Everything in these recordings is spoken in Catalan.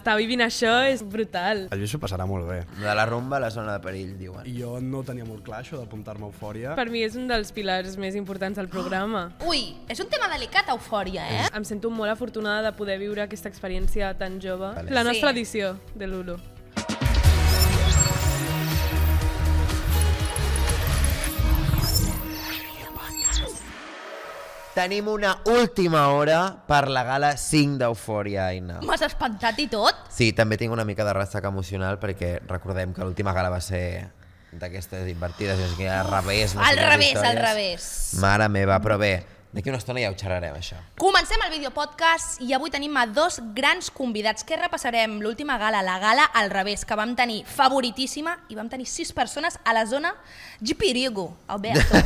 estar vivint això és brutal. El Lluís s'ho passarà molt bé. De la rumba a la zona de perill, diuen. Jo no tenia molt clar això d'apuntar-me a Eufòria. Per mi és un dels pilars més importants del programa. Ui, és un tema delicat, Eufòria, eh? Em sento molt afortunada de poder viure aquesta experiència tan jove. Vale. La nostra Sí. edició de l'Ulu. Tenim una última hora per la gala 5 d'Eufòria, Aina. M'has espantat i tot? Sí, també tinc una mica de ressaca emocional perquè recordem que l'última gala va ser d'aquestes invertides, és que al revés. No sé Al quines revés, històries. al revés. Mare meva, però bé, d'aquí una estona ja ho xerrarem, això. Comencem el videopodcast i avui tenim a dos grans convidats que repassarem l'última gala, la gala al revés, que vam tenir favoritíssima i vam tenir 6 persones a la zona Gipirigo, Alberto.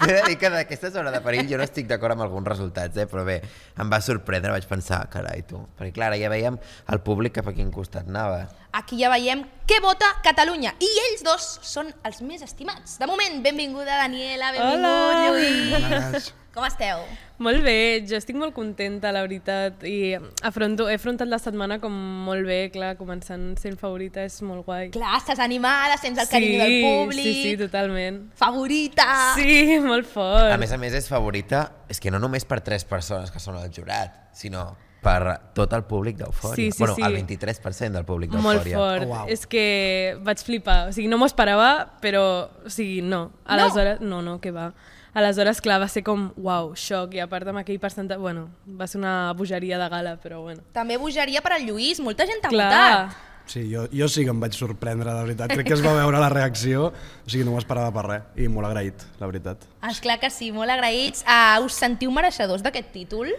He de dir que d'aquesta zona de perill jo no estic d'acord amb alguns resultats, però bé, em va sorprendre, vaig pensar, carai, tu. Perquè clar, ja veiem el públic cap a quin costat anava. Aquí ja veiem què vota Catalunya i ells dos són els més estimats. De moment, benvinguda Daniela, benvingut Lluís. Com esteu? Molt bé, jo estic molt contenta, la veritat, i he afrontat la setmana com molt bé, clar, començant sent favorita és molt guai. Clar, estàs animada, sents el carinyo del públic. Sí, totalment. Favorita. Sí, molt fort. A més, és favorita, és que no només per 3 persones que són al jurat, sinó per tot el públic d'Eufòria. Sí, bueno, sí. el 23% del públic Molt d'Eufòria. fort. Oh, wow. És que vaig flipar. O sigui, no m'ho esperava, però, o sigui, no. Aleshores, no, que va. Aleshores, clar, va ser com, uau, xoc, i a part amb aquell percentatge, bueno, va ser una bogeria de gala, però bueno. També bogeria per al Lluís, molta gent t'ha Clar, votat. Sí, jo sí que em vaig sorprendre, de veritat. Crec que es va veure la reacció, o sigui, no m'ho esperava per res. I molt agraït, la veritat. Esclar que sí, molt agraïts. Us sentiu mereixedors d'aquest títol?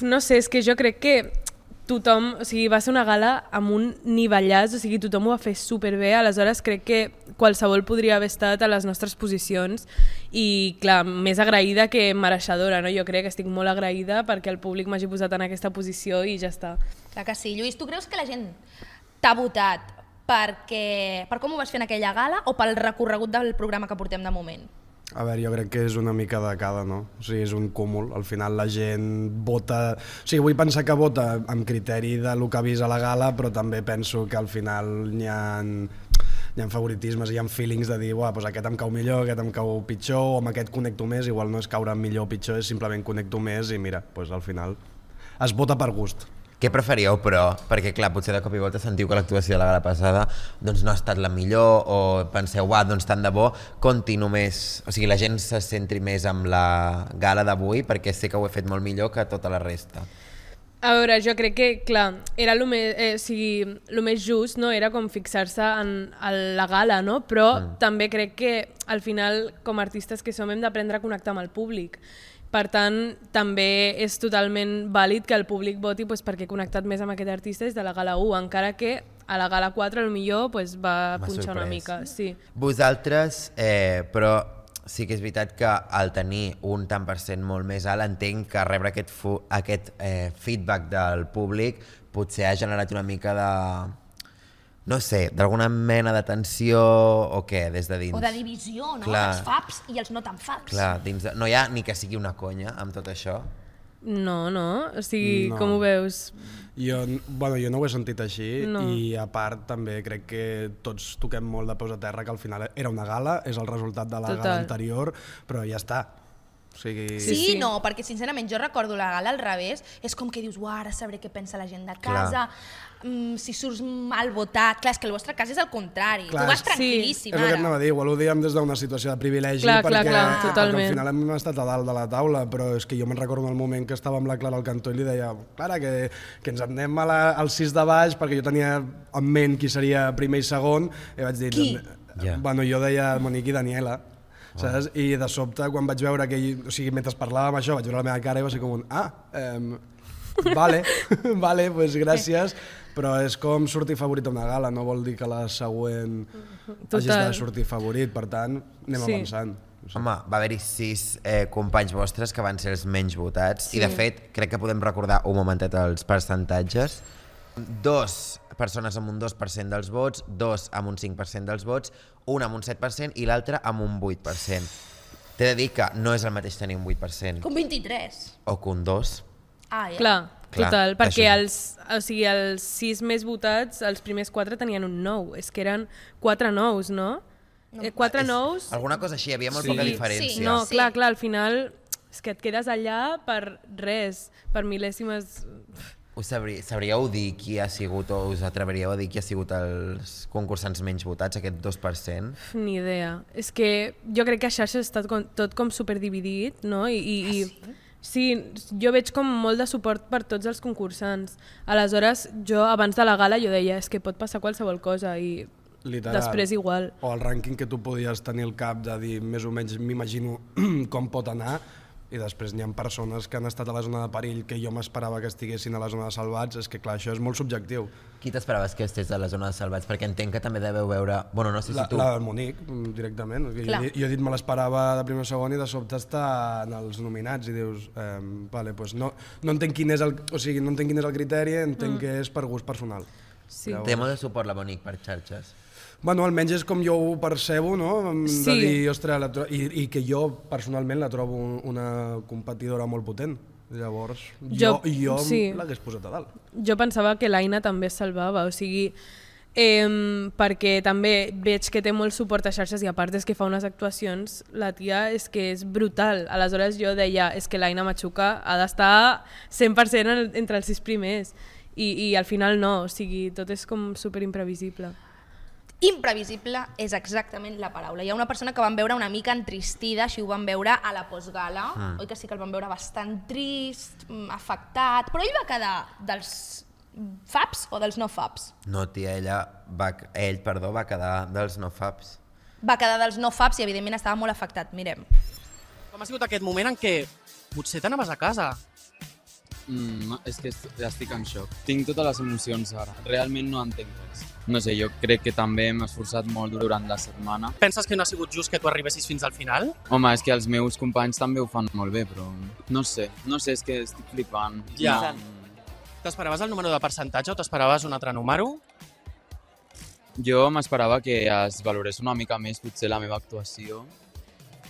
no sé, és que jo crec que tothom, o sigui, va ser una gala amb un nivellàs, o sigui, tothom ho va fer superbé, aleshores crec que qualsevol podria haver estat a les nostres posicions i, clar, més agraïda que mereixedora, no? Jo crec que estic molt agraïda perquè el públic m'hagi posat en aquesta posició i ja està. Clar que sí. Lluís, tu creus que la gent t'ha votat per com ho vas fer en aquella gala o pel recorregut del programa que portem de moment? A veure, jo crec que és una mica de cada, no? O sigui, és un cúmul. Al final la gent vota... O sigui, vull pensar que vota amb criteri del que ha vist a la gala, però també penso que al final hi ha favoritismes, hi ha feelings de dir doncs aquest em cau millor, aquest em cau pitjor, o amb aquest connecto més, igual no és caure millor o pitjor, és simplement connecto més i mira, doncs al final es vota per gust. Què preferíeu, però? Perquè, clar, potser de cop i volta sentiu que l'actuació de la gala passada doncs, no ha estat la millor o penseu, doncs tant de bo, conti només... O sigui, la gent se centri més amb la gala d'avui perquè sé que ho he fet molt millor que tota la resta. A veure, jo crec que, clar, era el més just, no? Era com fixar-se en la gala, no? Però també crec que al final, com a artistes que som, hem d'aprendre a connectar amb el públic. Per tant, també és totalment vàlid que el públic voti perquè he connectat més amb aquest artista des de la gala 1, encara que a la gala 4 potser va punxar una mica. Sí. Vosaltres, però sí que és veritat que al tenir un tant per cent molt més alt, entenc que rebre aquest feedback del públic potser ha generat una mica de... no sé, d'alguna mena de tensió o què, des de dins? O de divisió, no? Clar. Els faps i els no tan faps. Clar, no hi ha ni que sigui una conya amb tot això? No, o sigui, No. com ho veus? Jo no ho he sentit així No. i a part també crec que tots toquem molt de peus a terra que al final era una gala, és el resultat de la gala anterior, però ja està. O sigui... Sí, no, perquè sincerament jo recordo la gala al revés, és com que dius, ara sabré què pensa la gent de casa, si surts mal votat, clar, és que el vostre cas és el contrari, Clar, tu vas sí. tranquil·líssim És el que ara. anava a dir, igual ho diem des d'una situació de privilegi Clar, perquè al totalment. final hem estat a dalt de la taula, però és que jo me'n recordo el moment que estava amb la Clara al cantó i li deia, Clara, que ens anem al 6 de baix, perquè jo tenia en ment qui seria primer i segon, i vaig dir... Qui? Bueno, jo deia Monique i Daniela, saps? I de sobte, quan vaig veure que o sigui, mentre parlàvem això, vaig veure la meva cara i va ser com un, vale, pues gràcies, però és com sortir favorit a una gala, no vol dir que la següent hagis de sortir favorit, per tant, anem avançant. Home, va haver-hi 6 companys vostres que van ser els menys votats i de fet crec que podem recordar un momentet els percentatges. 2 persones amb un 2% dels vots, 2 amb un 5% dels vots, un amb un 7% i l'altre amb un 8%. T'he de dir que no és el mateix tenir un 8% Com 23. o que un 2%. Ah, ja. Clar, Clar, total, perquè això els 6 més votats, els primers 4 tenien un 9, és que eren 4 nous, no? 4 nous... Alguna cosa així, hi havia molt poca diferència. Sí. No, clar, al final és que et quedes allà per res, per mil·lèsimes... Sabríeu dir qui ha sigut, o us atreveríeu a dir qui ha sigut els concursants menys votats, aquest 2%? Ni idea. És que jo crec que a xarxes està tot com superdividit, no? Sí, jo veig com molt de suport per tots els concursants. Aleshores, jo abans de la gala jo deia és que pot passar qualsevol cosa i Literal. després igual. O el rànquing que tu podies tenir al cap de dir més o menys m'imagino com pot anar, i després n'hi ha persones que han estat a la zona de perill que jo m'esperava que estiguessin a la zona de salvats. És que clar, això és molt subjectiu. Qui t'esperaves que estigués a la zona de salvats? Perquè entenc que també deveu veure... Bueno, no sé si tu... La del Monic, directament. Jo he dit me l'esperava de primer o segon i de sobte està en els nominats i dius, vale, pues no entenc quin és el, no entenc quin és el criteri, entenc que és per gust personal. Sí. Té molt de suport la Monic per xarxes. Bueno, almenys és com jo ho percebo, no? Sí. De dir, ostres, i que jo personalment la trobo una competidora molt potent. Llavors, jo sí. l'hagués posat a dalt. Jo pensava que l'Aina també es salvava, o sigui, perquè també veig que té molt suport a xarxes i a part és que fa unes actuacions, la tia és que és brutal. Aleshores jo deia, és que l'Aina Machuca ha d'estar 100% entre els 6 primers i al final no, o sigui, tot és com superimprevisible. Imprevisible és exactament la paraula. Hi ha una persona que van veure una mica entristida, així ho van veure a la postgala, oi que sí que el van veure bastant trist, afectat, però ell va quedar dels faps o dels no faps? No, tia, ell va quedar dels no faps. Va quedar dels no faps i evidentment estava molt afectat, mirem. Com ha sigut aquest moment en què potser t'anaves a casa? És que estic en xoc. Tinc totes les emocions ara. Realment no entenc res. No sé, jo crec que també m'he esforçat molt durant la setmana. Penses que no ha sigut just que tu arribessis fins al final? Home, és que els meus companys també ho fan molt bé, però no sé, és que estic flipant. Ja. T'esperaves el número de percentatge o t'esperaves un altre número? Jo m'esperava que es valorés una mica més potser la meva actuació,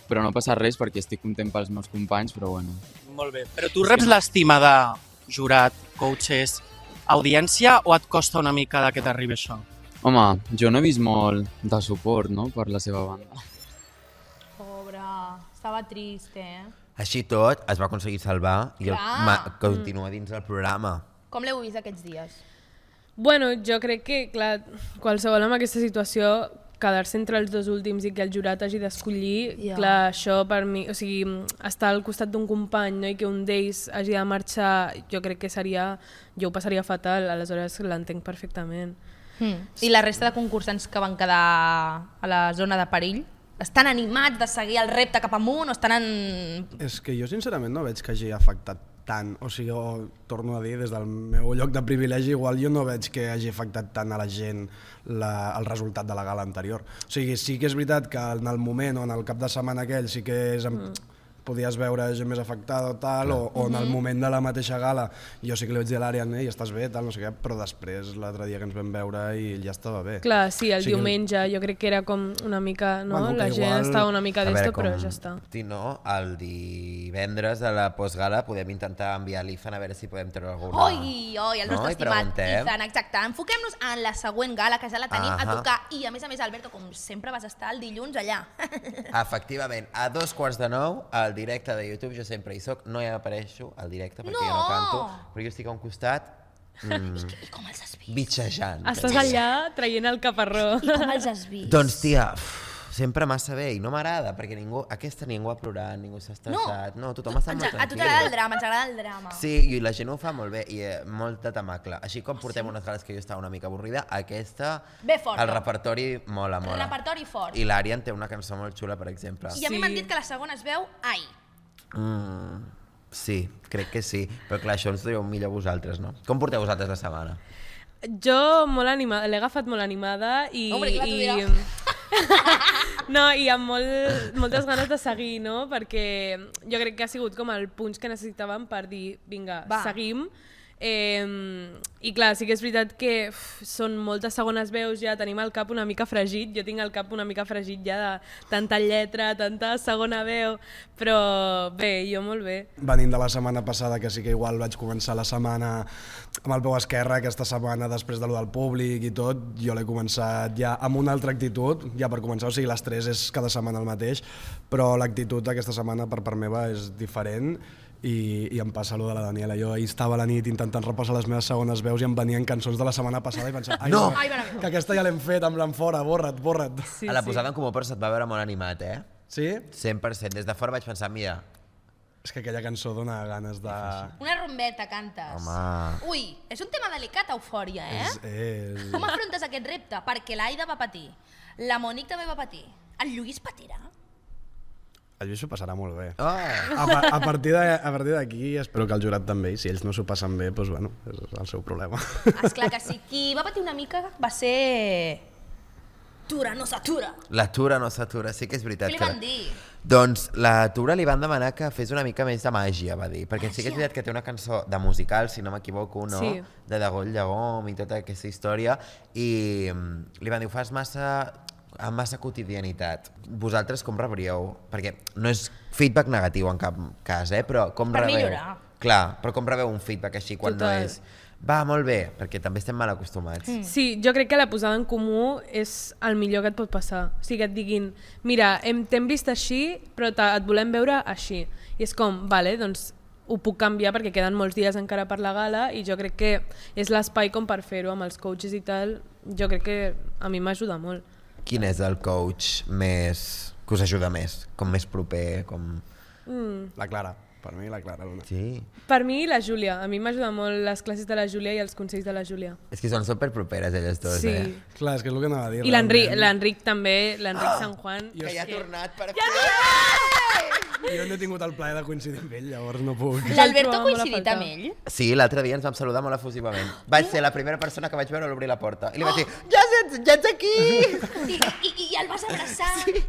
però no passa res perquè estic content pels meus companys, però bueno. Molt bé. Però tu reps l'estima de jurat, coaches, audiència o et costa una mica que t'arribi això? Home, jo no he vist molt de suport, no?, per la seva banda. Pobre, estava trist, Així tot, es va aconseguir salvar i continua dins del programa. Com l'heu vist aquests dies? Bueno, jo crec que, clar, qualsevol en aquesta situació quedar-se entre els 2 últims i que el jurat hagi d'escollir, clar, això per mi, o sigui, estar al costat d'un company, no?, i que un d'ells hagi de marxar, jo crec que jo ho passaria fatal, aleshores l'entenc perfectament. I la resta de concursants que van quedar a la zona de perill, estan animats de seguir el repte cap amunt o estan en... És que jo sincerament no veig que hagi afectat tant, o sigui, torno a dir, des del meu lloc de privilegi, igual jo no veig que hagi afectat tant a la gent el resultat de la gala anterior. O sigui, sí que és veritat que en el moment o en el cap de setmana aquell sí que podies veure gent més afectada o tal, o en el moment de la mateixa gala jo sí que li vaig dir a l'Àrian, i estàs bé, tal, no sé què, però després l'altre dia que ens vam veure i ja estava bé. Clar, sí, el diumenge jo crec que era com una mica, no? Bueno, la gent estava una mica d'esto, però ja està. Si no, el divendres de la postgala podem intentar enviar l'Ethan a veure si podem treure alguna... Oi, el nostre estimat Ethan, exacte. Enfoquem-nos en la següent gala, que ja la tenim a tocar, i a més, Alberto, com sempre vas estar el dilluns allà. Efectivament, a 2:45, al directe de YouTube, jo sempre hi soc, no hi apareixo al directe perquè jo no canto, però jo estic a un costat I com els has vist? bitxejant. Estàs allà traient el caparró. I com els has vist? Doncs tia, sempre massa bé i no m'agrada perquè ningú ha plorat, ningú s'ha estressat, no, tothom està molt tranquil. A tu t'agrada el drama, ens agrada el drama. Sí, i la gent ho fa molt bé i molta temacle. Així com portem unes gales que jo estava una mica avorrida, aquesta, el repertori mola. El repertori fort. I l'Àrian té una cançó molt xula, per exemple. I a mi m'han dit que la segona es veu Ai. Sí, crec que sí, però clar, això ens ho dieu millor vosaltres, no? Com porteu vosaltres la setmana? Jo molt animada, l'he agafat molt animada i... No, i amb moltes ganes de seguir, no? Perquè jo crec que ha sigut com el punx que necessitàvem per dir, vinga, seguim. I clar, sí que és veritat que són moltes segones veus, ja tenim el cap una mica fregit, jo tinc el cap una mica fregit ja de tanta lletra, tanta segona veu, però bé, jo molt bé. Venint de la setmana passada, que sí que igual vaig començar la setmana amb el peu esquerre, aquesta setmana després de lo del públic i tot, jo l'he començat ja amb una altra actitud, ja per començar, o sigui, l'estrès és cada setmana el mateix, però l'actitud aquesta setmana per part meva és diferent. I em passa allò de la Daniela. Jo ahir estava a la nit intentant repassar les meves segones veus i em venien cançons de la setmana passada i pensava, No! que aquesta ja l'hem fet, amb l'enfora, borra't. Sí, A la posada en comú però se't va veure molt animat, eh? Sí? 100%. Des de fora vaig pensar, mira, És que aquella cançó dona ganes de... Una rumbeta cantes. Home. Ui, és un tema delicat, Eufòria, És... Com afrontes aquest repte? Perquè l'Aida va patir, la Monique també va patir, el Lluís patirà? El Lluís s'ho passarà molt bé. Oh. A partir d'aquí espero que el jurat també, i si ells no s'ho passen bé, doncs bueno, és el seu problema. Esclar que sí. Qui va patir una mica va ser... Tura no s'atura. La Tura no s'atura, sí que és veritat. Què li van dir? Doncs la Tura li van demanar que fes una mica més de màgia, va dir, perquè sí que és veritat que té una cançó de musical, si no m'equivoco, no? Sí. De Dagoll Llagom i tota aquesta història, i li van dir, ho fas amb massa quotidianitat. Vosaltres com rebríeu? Perquè no és feedback negatiu en cap cas, però com Per rebeu? millorar. Clar, però com rebeu un feedback així quan Total. no és... Va, molt bé, perquè també estem mal acostumats. Sí, jo crec que la posada en comú és el millor que et pot passar. O sigui, que et diguin, mira, t'hem vist així, però et volem veure així. I és com, vale, doncs ho puc canviar perquè queden molts dies encara per la gala i jo crec que és l'espai com per fer-ho amb els coaches i tal. Jo crec que a mi m'ajuda molt. Quin és el coach que us ajuda més? Com més proper? Com... La Clara, per mi la Clara Luna. Sí. Per mi la Júlia, a mi m'ajuda molt les classes de la Júlia i els consells de la Júlia. És que són superproperes elles dues, Sí. Clar, és que és el que anava a dir. I l'Enric també, l'Enric Sant Juan. Que ja ha tornat per Jo no he tingut el plaer de coincidir amb ell, llavors no puc. L'Alberto ha trobava molt a coincidit faltar. amb ell? Sí, l'altre dia ens vam saludar molt efusivament. Vaig ser la primera persona que vaig veure a l'obrir la porta. I li vaig dir, ja ets aquí! I el vas abraçar? Sí.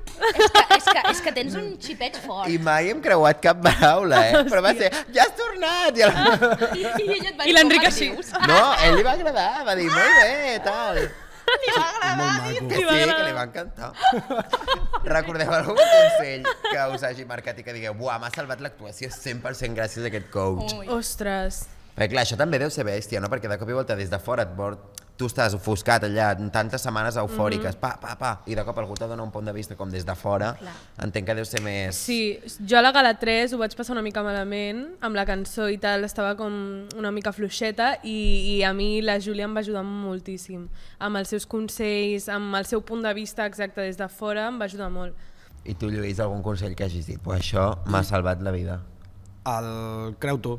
És que tens un xipet fort. I mai hem creuat cap paraula, Però va ser, ja has tornat! I l'Enric així. No, a ell li va agradar, va dir, molt bé, tal. Molt maco. Que sí, que li va encantar. Recordeu algun consell que us hagi marcat i que digueu, buah, m'ha salvat l'actuació 100% gràcies a aquest coach? Ostres. Perquè clar, això també deu ser bèstia, no? Perquè de cop i volta des de fora tu estàs ofuscat allà en tantes setmanes eufòriques, i de cop algú te dona un punt de vista com des de fora, entenc que deu ser més... Sí, jo a la gala 3 ho vaig passar una mica malament, amb la cançó i tal, estava com una mica fluixeta i a mi la Júlia em va ajudar moltíssim, amb els seus consells, amb el seu punt de vista exacte des de fora, em va ajudar molt. I tu, Lluís, algun consell que hagis dit? Pues això m'ha salvat la vida. El creu tu.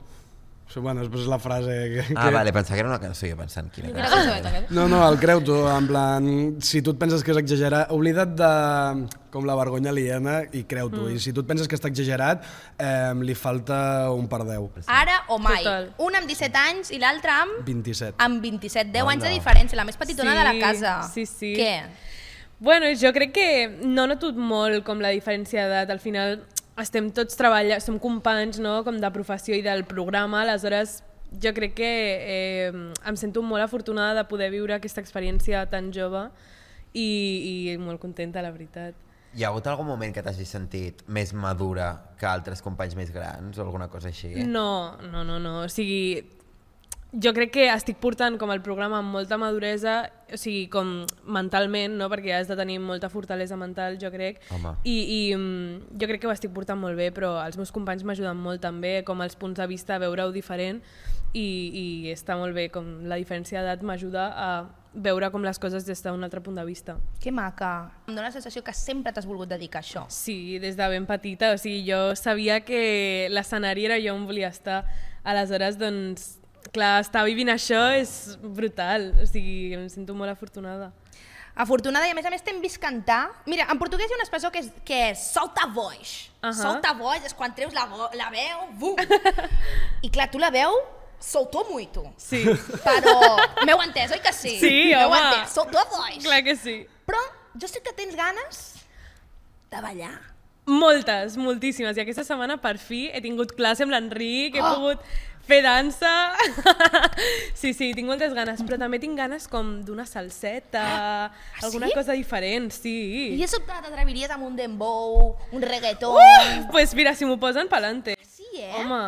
Bueno, després és la frase que... Vale, pensava que era una cançó, jo pensant quina Quina cançó. cançó? No, el creu tu, en plan, si tu et penses que és exagerat, oblida't de com la vergonya aliena i creu tu. I si tu et penses que està exagerat, li falta un per 10. Ara o mai. Total. Un amb 17 anys i l'altre amb... 27. Amb 27, 10 anys de diferència, la més petitona Sí, de la casa. sí. Què? Bueno, jo crec que no noto molt com la diferència d'edat, al final estem tots treballant, som companys, no?, com de professió i del programa, aleshores jo crec que em sento molt afortunada de poder viure aquesta experiència tan jove i molt contenta, la veritat. Hi ha hagut algun moment que t'hagis sentit més madura que altres companys més grans o alguna cosa així? No, o sigui, jo crec que estic portant com el programa amb molta maduresa, o sigui, com mentalment, no? Perquè has de tenir molta fortalesa mental, jo crec. Home. I jo crec que ho estic portant molt bé, però els meus companys m'ajuden molt també, com els punts de vista, veure-ho diferent, i està molt bé, com la diferència d'edat m'ajuda a veure com les coses des d'un altre punt de vista. Que maca. Em dóna la sensació que sempre t'has volgut dedicar a això. Sí, des de ben petita, o sigui, jo sabia que l'escenari era jo on volia estar, aleshores, doncs, clar, estar vivint això és brutal, o sigui, em sento molt afortunada. Afortunada, i a més t'hem vist cantar. Mira, en portuguès hi ha una expressió que és solta voix. Solta voix és quan treus la veu, bum! I clar, tu la veu soltou muito. Sí. Però m'heu entès, oi que sí? Sí, m'heu home. entès, soltou a voix. Clar que sí. Però jo sé que tens ganes de ballar. Moltes, moltíssimes. I aquesta setmana, per fi, he tingut classe amb l'Enric, he pogut fer dansa. Sí, tinc moltes ganes, però també tinc ganes com d'una salseta, alguna cosa diferent, sí. I de sobte t'atreviries amb un dembow, un reggaeton... Pues mira, si m'ho posen, pa'lante. Sí, Home,